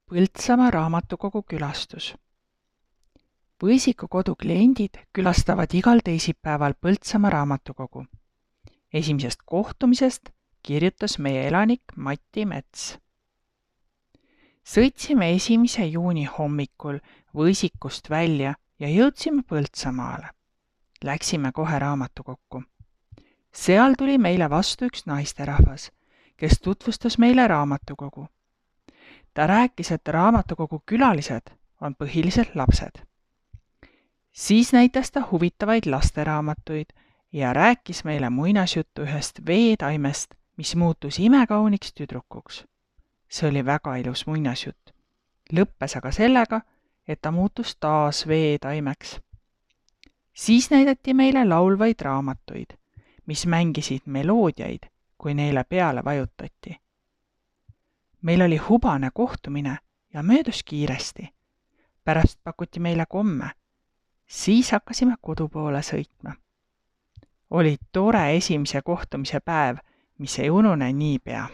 Põltsamaa raamatukogu külastus. Võisiku kodu kliendid külastavad igal teisipäeval Põltsamaa raamatukogu. Esimesest kohtumisest kirjutas meie elanik Mati Mets. Sõitsime 1. juuni hommikul Võisikust välja ja jõudsime Põltsamaale. Läksime kohe raamatukokku. Seal tuli meile vastu üks naisterahvas, kes tutvustas meile raamatukogu. Ta rääkis, et raamatukogu külalised on põhiliselt lapsed. Siis näitas ta huvitavaid lasteraamatuid ja rääkis meile muinasjuttu ühest veetaimest, mis muutus imekauniks tüdrukuks. See oli väga ilus muinasjutt. Lõppes aga sellega, et ta muutus taas veetaimeks. Siis näidati meile laulvaid raamatuid, mis mängisid meloodiaid, kui neile peale vajutati. Meil oli hubane kohtumine ja möödus kiiresti. Pärast pakuti meile komme. Siis hakkasime kodu poole sõitma. Oli tore esimese kohtumise päev, mis ei unune niipea.